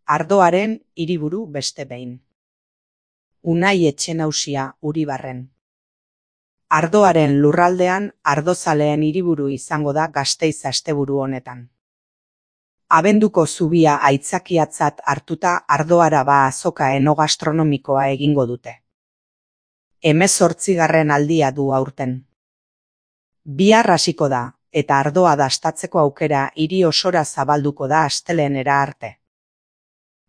Ardoaren hiriburu beste behin. Unai Etxenausia, Uribarren. Ardoaren lurraldean ardozaleen hiriburu izango da Gasteiz asteburu honetan. Abenduko zubia aitzakiatzat hartuta Ardoaraba azoka enogastronomikoa egingo dute. 18. aldia du aurten. Bihar hasiko da, eta ardoa dastatzeko aukera hiri osora zabalduko da astelehenera arte.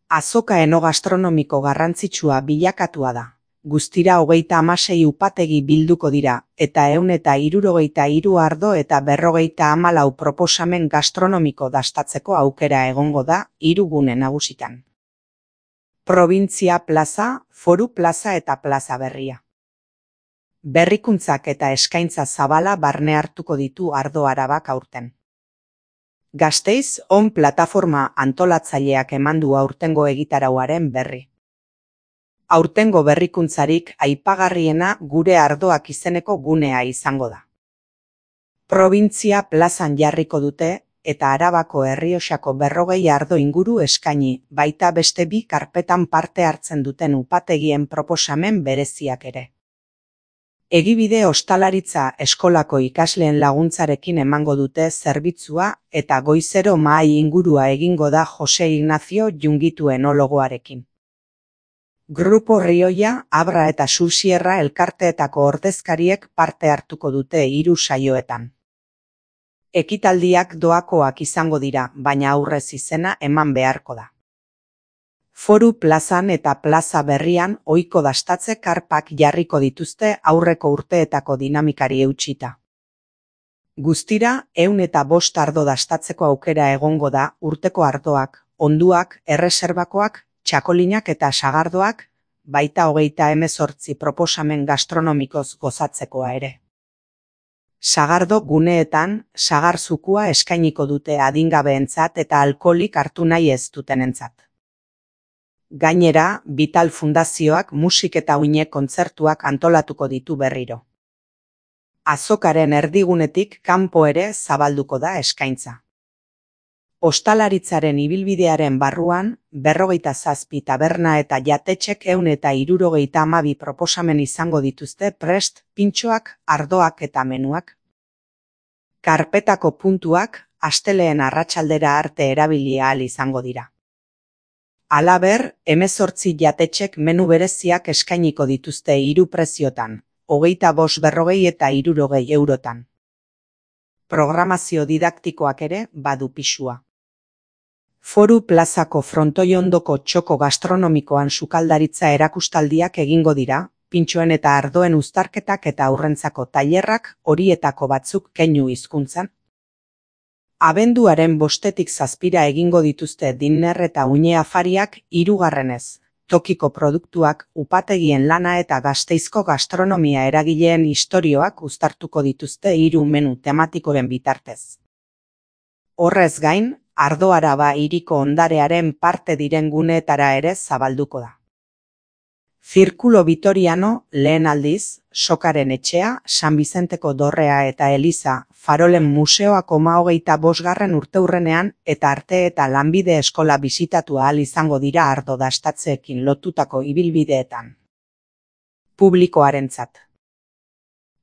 Azoka enogastronomiko garrantzitsua bilakatua da. Guztira 36 upategi bilduko dira, eta 163 ardo eta 54 proposamen gastronomiko dastatzeko aukera egongo da 3 gune nagusitan. Probintzia plaza, foru plaza eta plaza berria. Berrikuntzak eta eskaintza zabala barne hartuko ditu Ardoarabak aurten. Gasteiz On plataforma antolatzaileak eman du aurtengo egitarauaren berri. Aurtengo berrikuntzarik aipagarriena gure ardoak izeneko gunea izango da. Probintzia plazan jarriko dute eta Arabako Errioxako 40 ardo inguru eskaini, baita beste 2 karpetan parte hartzen duten upategien proposamen bereziak ere. Egibide ostalaritza eskolako ikasleen laguntzarekin emango dute zerbitzua eta goizero mahai ingurua egingo da Jose Ignacio Jungitu enologoarekin. Grupo Rioja, Abra eta Susierra elkarteetako ordezkariek parte hartuko dute 3 saioetan. Ekitaldiak doakoak izango dira, baina aurrez izena eman beharko da. Foru plazan eta plaza berrian ohiko dastatze karpak jarriko dituzte aurreko urteetako dinamikari eutsita. Guztira 105 ardo dastatzeko aukera egongo da urteko ardoak, onduak, erreserbakoak, txakolinak eta sagardoak, baita 38 proposamen gastronomikoz gozatzekoa ere. Sagardo guneetan sagar zukua eskainiko dute adingabeentzat eta alkoholik hartu nahi ez dutenentzat. Gainera, Vital Fundazioak musik eta uine kontzertuak antolatuko ditu berriro. Azokaren erdigunetik kanpo ere zabalduko da eskaintza. Ostalaritzaren ibilbidearen barruan, 47 taberna eta jatetxek 172 proposamen izango dituzte prest, pintxoak, ardoak eta menuak. Karpetako puntuak astelehen arratsaldera arte erabili ahal izango dira. Halaber, 18 jatetxek menu bereziak eskainiko dituzte 3 preziotan, 25,40 eta 60 eurotan. Programazio didaktikoak ere badu pisua. Foru plazako frontoi ondoko txoko gastronomikoan sukaldaritza erakustaldiak egingo dira, pintxoen eta ardoen uztarketak eta aurrentzako tailerrak horietako batzuk keinu hizkuntzan. Abenduaren 5-tik 7 egingo dituzte dinner eta uine afariak 3. Tokiko produktuak, upategien lana eta Gasteizko gastronomia eragileen istorioak uztartuko dituzte 3 menu tematikoren bitartez. Horrez gain, Ardoaraba hiriko ondarearen parte diren guneetara ere zabalduko da. Zirkulo Vitoriano, lehen aldiz, Sokaren etxea, San Bizenteko dorrea eta Eliza, Farolen museoak 25. urteurrenean eta arte eta lanbide eskola bisitatu ahal izango dira ardo dastatzeekin lotutako ibilbideetan. Publikoarentzat.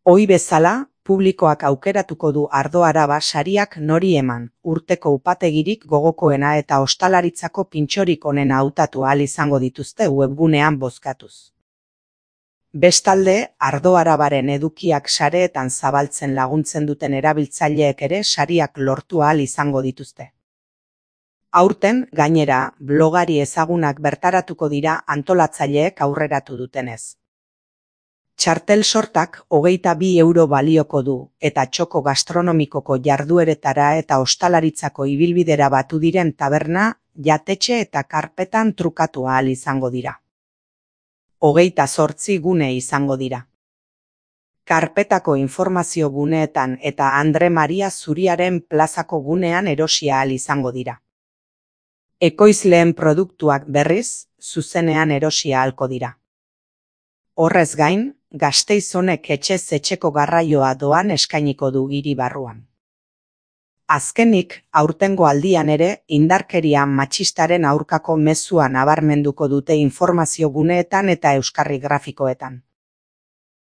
Ohi bezala, publikoak aukeratuko du Ardoaraba sariak nori eman, urteko upategirik gogokoena eta ostalaritzako pintxorik onena hautatu ahal izango dituzte webgunean bozkatuz. Bestalde, Ardoarabaren edukiak sareetan zabaltzen laguntzen duten erabiltzaileek ere sariak lortu ahal izango dituzte. Aurten, gainera, blogari ezagunak bertaratuko dira antolatzaileek aurreratu dutenez. Txartel sortak 22 euro balioko du, eta txoko gastronomikoko jardueretara eta ostalaritzako ibilbidera batu diren taberna, jatetxe eta karpetan trukatu ahal izango dira. 28 gune izango dira. Karpetako informazio guneetan eta Andre Maria Zuriaren plazako gunean erosi ahal izango dira. Ekoizleen produktuak berriz, zuzenean erosi ahalko dira. Horrez gain, Gasteiz honek etxez etxeko garraioa doan eskainiko du hiri barruan. Azkenik, aurtengo aldian ere, indarkeria matxistaren aurkako mezua nabarmenduko dute informazio guneetan eta euskarri grafikoetan.